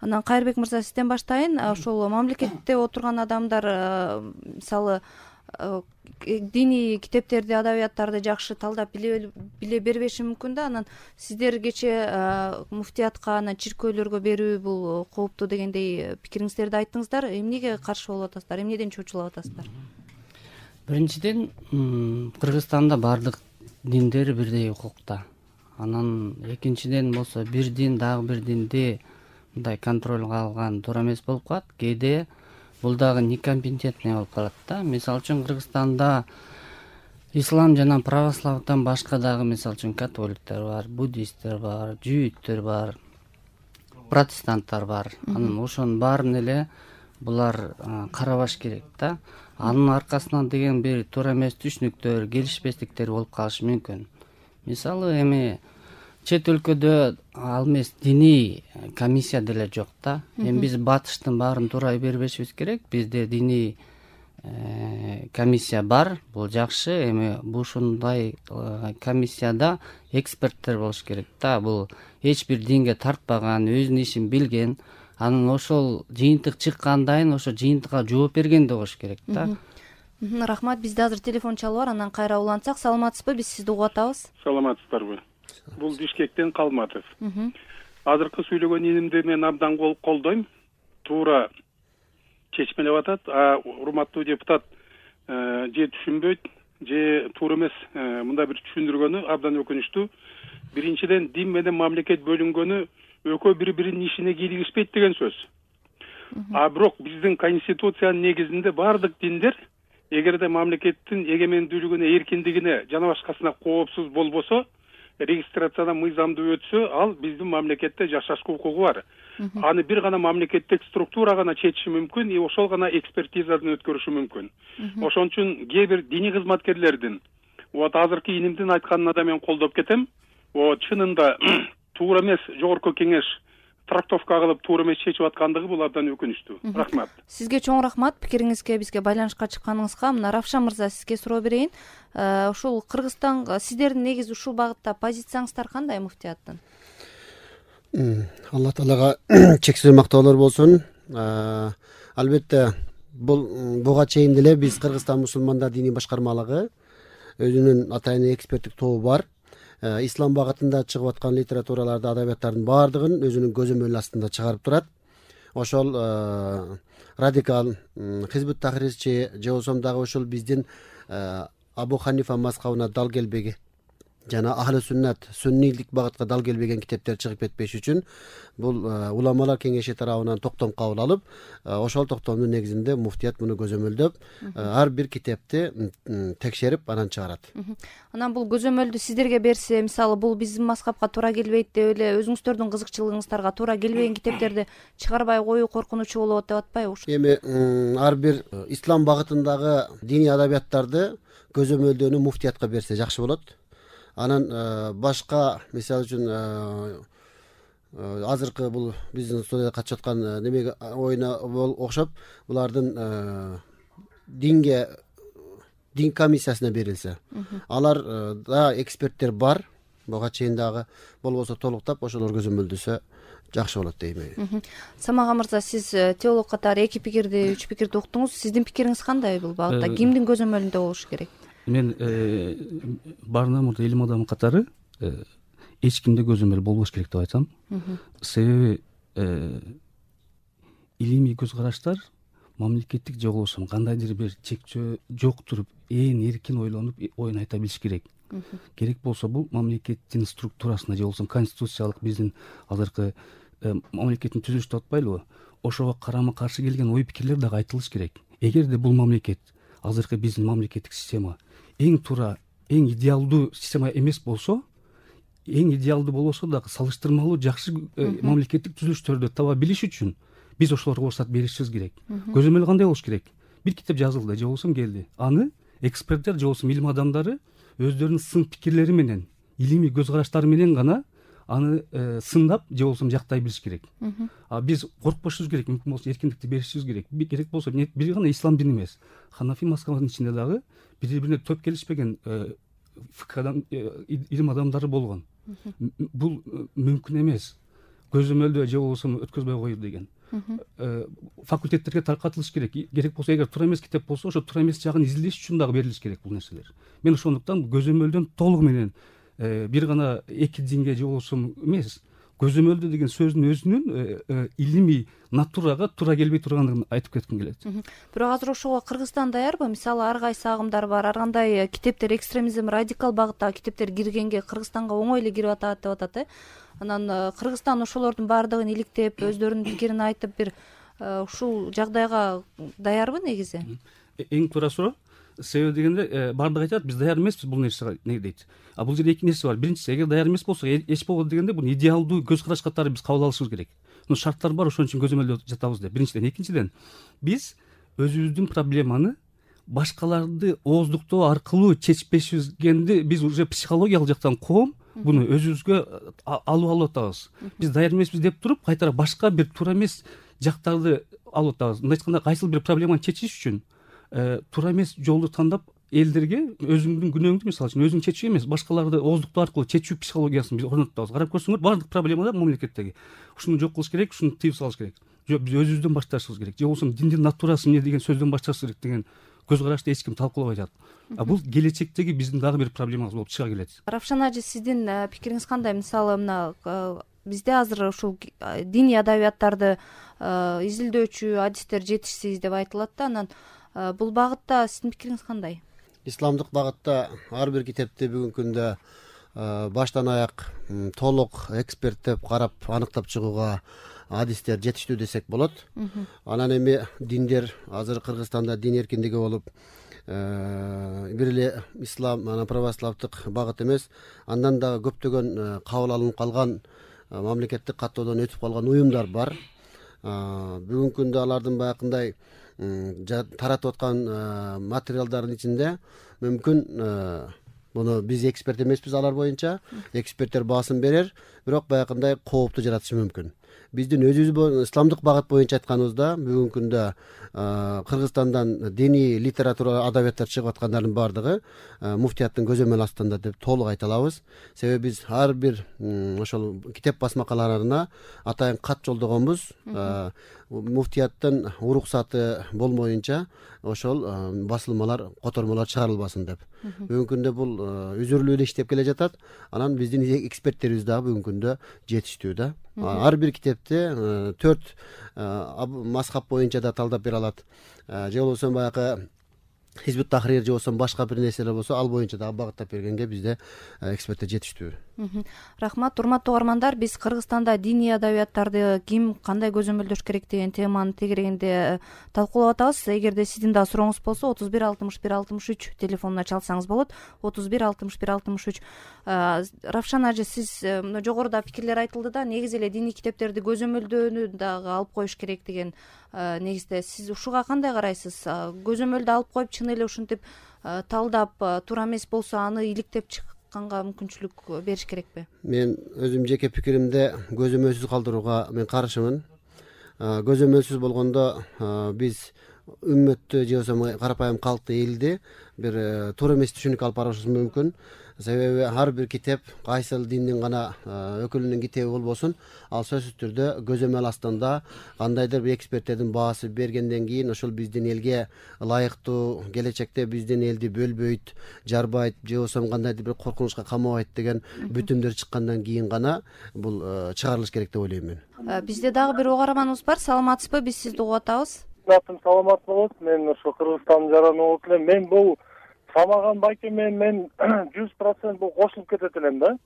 Анан Кайырбек мырза, сизден баштайын. Ошол мамлекетте отурган адамдар мисалы диний китептерди, адабияттарды жакшы талдап биле бербеши мүмкүн да. Анан сиздер кече муфтиятка, анан чиркөөлөргө берүү бул кооптуу дегендей пикириңиздерди айттыңыздар. Эмнеге каршы болуп атасыздар? Эмнеден чочулап атасыздар? Биринчиден, Кыргызстанда бардык диндер бирдей укукта. Анан экинчиден болсо бир дин дагы бир динди мындай контролго алган туура эмес болуп калат. Кээде бул дагы некомпетентный болуп калат да. Мисалы үчүн Кыргызстанда ислам жана православдан башка дагы мисалы үчүн католиктер бар, буддисттер бар, жүйүттөр бар, протестанттар бар. Анан ошонун баарын эле булар карабаш керек да. Анын аркасынан деген бир туура эмес түшүнүктөр, келишпестиктер болуп калышы мүмкүн. Мисалы эми чет өлкөдө ал эмес диний комиссия деле жок да. Эми биз батыштын баарын туура бербешибиз керек. Бизде диний комиссия бар, бул жакшы. Эми ушундай комиссияда эксперттер болуш керек да. Бул эч бир динге тартпаган, өзүнүн ишин билген, анан ошол жыйынтык чыккандайын ошо жыйынтыкка жооп бергендей болуш керек да. Рахмат. Бизде азыр телефон чалуу бар, анан кайра улантсак. Саламатсызбы? Биз сизди угуп атабыз. Саламатсыздарбы? Бул Бишкектен Калматов. Азыркы сүйлөгөн инимди мен абдан колдойм. Туура чечмелеп атат. Урматтуу депутат же түшүнбөйт, же туура эмес мындай бир түшүндүргөнү абдан өкүнүчтүү. Биринчиден, дин менен мамлекет бөлүнгөнү экөө бири-биринин ишине кийлигишпейт деген сөз. Бирок биздин конституциянын негизинде бардык диндер эгерде мамлекеттин эгемендүүлүгүнө, эркиндигине жана башкасына коопсуз болбосо, регистрациядан мыйзамдуу өтсө, ал биздин мамлекетте жашашка укугу бар. Аны бир гана мамлекеттик структура гана чечиши мүмкүн, ошол гана экспертизадан өткөрүшү мүмкүн. Ошон үчүн кээ бир диний кызматкерлердин азыркы инимдин айтканына да мен колдоп кетем. Чынында туура эмес жогорку кеңеш трактовка кылып туура эмес чечип аткандыгы бул абдан өкүнүчтүү. Рахмат. Сизге чоң рахмат пикириңизге, бизге байланышка чыкканыңызга. Мына Равшан мырза, сизге суроо берейин. Ушул Кыргызстанга сиздердин негизи ушул багытта позицияңыздар кандай муфтияттын? Алла Таалага чексиз мактоолор болсун. Албетте буга чейин деле биз Кыргызстан мусулмандар диний башкармалыгы өзүнүн атайын эксперттик тобу бар. Ислам багытында чыгып аткан литератураларды, адабияттардын баардыгын өзүнүн көзөмөлү астында чыгарып турат. Ошол радикал, хизбут тахрирчи же болсом дагы ошол биздин Абу Ханифа мазхабына дал келбеген жана ахли сүннат, суннийлик багытка дал келбеген китептер чыгып кетпеш үчүн бул уламалар кеңеши тарабынан токтом кабыл алып, ошол токтомдун негизинде муфтият муну көзөмөлдөп, ар бир китепти текшерип анан чыгарат. Анан бул көзөмөлдү сиздерге берсе, мисалы бул биздин мазхабка туура келбейт деп эле өзүңүздөрдүн кызыкчылыгыңыздарга туура келбеген китептерди чыгарбай коюу коркунучу болот деп атпайбы? Эми ар бир ислам багытындагы диний адабияттарды көзөмөлдөөнү муфтиятка берсе жакшы болот. Анан башка, мисалы үчүн азыркы бул биздин студияда катышып аткан немеге оюна окшоп, булардын дин комиссиясына берилсе, алар да эксперттер бар, буга чейин дагы болбосо толуктап ошолор көзөмөлдөсө жакшы болот дейм. Самага мырза, сиз теолог катары 2 пикирди, 3 пикирди уктуңуз. Сиздин пикириңиз кандай бул багытта? Кимдин көзөмөлүндө болуш керек? Мен баарынан мурда илим адамы катары эч кимде көзөмөл болбош керек деп айтам. Себеби илимий көз караштар мамлекеттик же болбосо кандайдыр бир чекчөө жок туруп, эркин ойлонуп, оюн айта билиш керек. Керек болсо бул мамлекеттин структурасына же болбосо конституциялык биздин азыркы мамлекеттин түзүлүшү деп атпайлыбы? Ошого карама каршы келген ой пикирлер дагы айтылыш керек. Эгерде бул мамлекет, азыркы биздин мамлекеттик система эң туура, эң идеалдуу система эмес болсо, эң идеалдуу болбосо дагы салыштырмалуу жакшы мамлекеттик түзүлүштөрдү таба билиш үчүн биз ошолорго уруксат беришибиз керек. Көзөмөл кандай болуш керек? Бир китеп жазылды, же болбосо келди. Аны эксперттер же болбосо илим адамдары өздөрүнүн сын пикирлери менен, илимий көз караштары менен гана аны сындап же болбосо жактай билиш керек. Биз коркпошубуз керек, мүмкүн болсо эркиндикти беришибиз керек. Керек болсо бир гана ислам дини эмес, Ханафи мазхабынын ичинде дагы бири-бирине төп келишпеген фикадан илим адамдары болгон. Бул мүмкүн эмес. көзөмөлдө же болбосо өткөзбөй коюу деген. Факультеттерге таркатылыш керек. Керек болсо эгер туура эмес китеп болсо ошо туура эмес жагын изилдеш үчүн дагы берилиш керек бул нерселер. Мен ошондуктан көзөмөлдөн толугу менен бир гана эки динге же болбосо эмес, көзөмөлдө деген сөздүн өзүнүн илимий натурага туура келбей тургандыгын айтып кетким келет. Бирок азыр ошого Кыргызстан даярбы? Мисалы ар кайсы агымдар бар, ар кандай китептер, экстремизм, радикал багыттагы китептер киргенге Кыргызстанга оңой эле кирип атат деп атат. Анан Кыргызстан ошолордун баардыгын иликтеп, өздөрүнүн пикирин айтып, бир ушул жагдайга даярбы негизи? Эң туура суроо. Себеби дегенде баардыгы айтат, биз даяр эмеспиз бул нерсеге, не дейт. А бул жерде эки нерсе бар. Биринчиси, эгер даяр эмес болсок, эч болбойт дегенде бул идеалдуу көз караш катары биз кабыл алышыбыз керек. Шарттар бар, ошон үчүн көзөмөлдө жатабыз деп. Биринчиден, экинчиден, биз өзүбүздүн проблеманы башкаларды ооздуктоо аркылуу чечпешизгенди биз уже психологиялык жактан коом буну өзүбүзгө алып атабыз. Биз даяр эмеспиз деп туруп, кайтара башка бир туура эмес жактарды алып атабыз. Мындай айтканда, кайсыл бир проблеманы чечиш үчүн туура эмес жолду тандап, элдерге өзүңдүн күнөөңдү, мисалы үчүн өзүң чечүү эмес, башкаларды ооздуктоо аркылуу чечүү психологиясын биз орнотуп атабыз. Карап көрсөңөр, баардык проблемалар мамлекеттеги. Ушуну жок кылыш керек, ушуну тыйып салыш керек. Жок, биз өзүбүздөн башташыбыз керек. Же болбосо диндин натурасы эмне деген сөздөн башташыбыз керек деген көз карашты эч ким талкуулабай жатат. Бул келечектеги биздин дагы бир проблемабыз болуп чыга келет. Равшан ажы, сиздин пикириңиз кандай? Мисалы мына бизде азыр ушул диний адабияттарды изилдөөчү адистер жетишсиз деп айтылат да. Анан бул багытта сиздин пикириңиз кандай? Исламдык багытта ар бир китепти бүгүнкү күндө баштан аяк толук эксперттеп карап аныктап чыгууга адистер жетиштүү десек болот. Анан эми диндер азыр Кыргызстанда дин эркиндиги болуп, бир эле ислам, анан православдык багыт эмес, андан дагы көптөгөн кабыл алынып калган мамлекеттик каттоодон өтүп калган уюмдар бар. Бүгүнкү күндө алардын баягындай таратып аткан материалдардын ичинде мүмкүн муну биз эксперт эмеспиз алар боюнча, эксперттер баасын берер, бирок баягындай коопту жаратышы мүмкүн. Биздин өзүбүз исламдык багыт боюнча айтканыбызда бүгүнкү күндө Кыргызстандан диний литература, адабияттар чыгып аткандардын баардыгы муфтияттын көзөмөл астында деп толук айта алабыз. Себеби биз ар бир ошол китеп басмакаларына атайын кат жолдогонбуз. Муфтияттын уруксаты болмоюнча ошол басылмалар, котормолор чыгарылбасын деп. Бүгүнкү күндө бул үзүрлүү эле иштеп келе жатат. Анан биздин эксперттерибиз дагы бүгүнкү күндө жетиштүү да. Ар бир китепти 4 мазхаб боюнча да талдап бере алат. Же болбосо баягы Хизбут Тахрир же болбосо башка бир нерселер болсо, ал боюнча дагы багыттап бергенге бизде эксперттер жетиштүү. Рахмат. Урматтуу угармандар, биз Кыргызстанда диний адабияттарды ким кандай көзөмөлдөш керек деген теманын тегерегинде талкуулап атабыз. Эгерде сиздин да сурооңуз болсо 31 61 63 телефонуна чалсаңыз болот. 31 61 63. Равшан ажы, сиз жогоруда пикирлер айтылды да, негизи эле диний китептерди көзөмөлдөөнү дагы алып коюш керек деген негизде. Сиз ушуга кандай карайсыз? Көзөмөлдү алып коюп, чын эле ушинтип талдап, туура эмес болсо аны иликтеп чыкканга мүмкүнчүлүк бериш керекпи? Мен өзүм жеке пикиримде көзөмөлсүз калтырууга мен каршымын. Көзөмөлсүз болгондо биз үммөттү же болбосо карапайым калкты, элди бир туура эмес түшүнүккө алып барышыбыз мүмкүн. Себеби ар бир китеп кайсыл диндин гана өкүлүнүн китеби болбосун, ал сөзсүз түрдө көзөмөл астында кандайдыр бир эксперттердин баасы бергенден кийин ошол биздин элге ылайыктуу, келечекте биздин элди бөлбөйт, жарбайт, же болбосо кандайдыр бир коркунучка камабайт деген бүтүмдөр чыккандан кийин гана бул чыгарылыш керек деп ойлойм мен. Бизде дагы бир угарманыбыз бар. Саламатсызбы? Биз сизди угуп атабыз. Саламат болот. Мен ошо Кыргызстандын жараны болуп элем. Мен бул Самаган байкеме мен 100% бул кошулуп кетет элем да.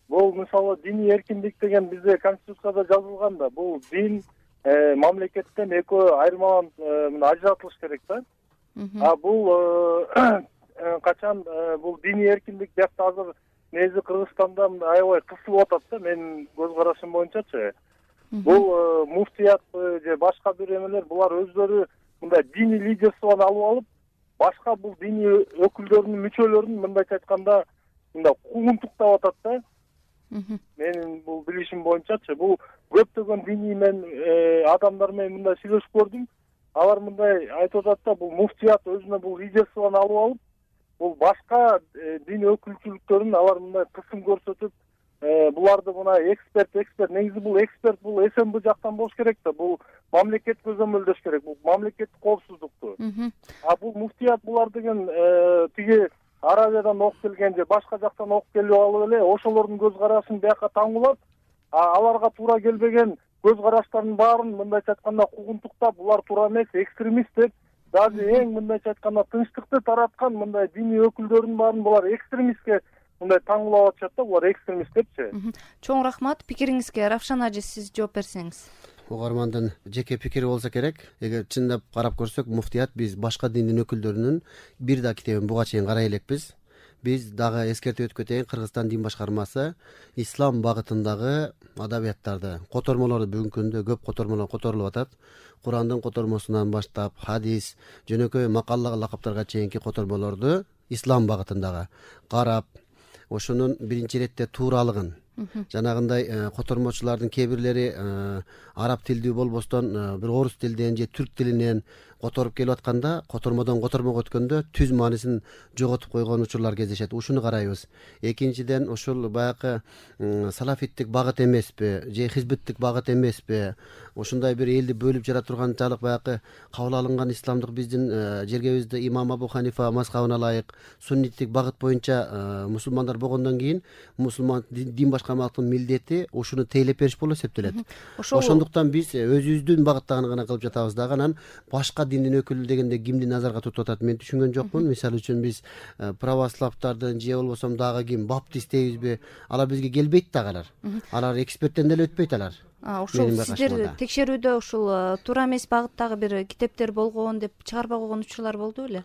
Бул мисалы диний эркиндик деген бизде конституцияда жазылган да. Бул дин мамлекеттен экөө айырмаланып ажыратылыш керек да. Бул качан бул диний эркиндик деп азыр негизи Кыргызстанда аябай кысылып атат да, менин көз карашым боюнчачы. Бул муфтият же башка бир эмелер булар өздөрү мындай диний лидерствону алып алып, башка бул диний өкүлдөрдүн, мүчөлөрүн мындайча айтканда мындай куугунтуктап атат да. Менин бул билишим боюнчачы, бул көптөгөн диний мен адамдар менен мындай сүйлөшүп көрдүм. Алар мындай айтып атат да, бул муфтият өзүнө бул лидерствону алып алып, бул башка дин өкүлчүлүктөрүн алар мындай кысым көрсөтүп, буларды мына эксперт негизи бул эксперт бул СМБ жактан болуш керек да, бул мамлекет көзөмөлдөш керек, бул мамлекеттик коопсуздукту. А бул муфтият булар деген тиги Аравиядан окуп келген же башка жактан окуп келип алып эле ошолордун көз карашын бияка таңуулап, аларга туура келбеген көз караштардын баарын мындайча айтканда кугунтуктап, булар туура эмес, экстремист деп, даже эң мындайча айтканда тынчтыкты тараткан мындай диний өкүлдөрдүн баарын булар экстремистке мындай таңуулап атышат да, булар экстремист депчи. Чоң рахмат. Пикириңизге Равшан ажы сиз жооп берсеңиз. Угармандын жеке пикири болсо керек. Эгер чындап карап көрсөк, муфтият биз башка диндин өкүлдөрүнүн бир да китебин буга чейин карай элекпиз. Биз дагы эскертип өтүп кетейин, Кыргызстан дин башкармасы ислам багытындагы адабияттарды, котормолорду бүгүнкү күндө көп котормолор которулуп атат. Курандын котормосунан баштап, хадис, жөнөкөй макалла лакаптарга чейинки котормолорду ислам багытындагы карап, ошонун биринчи иретте тууралыгын, жанагындай котормочулардын кээ бирлери араб тилдүү болбостон бир орус тилден же түрк тилинен которуп келип атканда, котормодон котормого өткөндө түз маанисин жоготуп койгон учурлар кездешет. Ушуну карайбыз. Экинчиден, ушул баягы салафиттик багыт эмеспи же хизбиттик багыт эмеспи, ушундай бир элди бөлүп жара турганчалык баягы кабыл алынган исламдык биздин жергебизде имам Абу Ханифа мазхабына ылайык сунниттик багыт боюнча мусулмандар болгондон кийин мусулман дин башкармалыктын милдети ушуну тейлеп бериш болуп эсептелет. Ошондуктан биз өзүбүздүн багыттагын гана кылып жатабыз дагы, анан башка диндин өкүлү дегенде кимди назарга тутуп атат мен түшүнгөн жокмун. Мисалы үчүн биз православдардын же болбосо дагы ким баптист дейбизби, алар бизге келбейт дагы, алар эксперттен деле өтпөйт алар. Ошол сиздер текшерүүдө ушул туура эмес багыттагы бир китептер болгон деп чыгарбай койгон учурлар болду беле?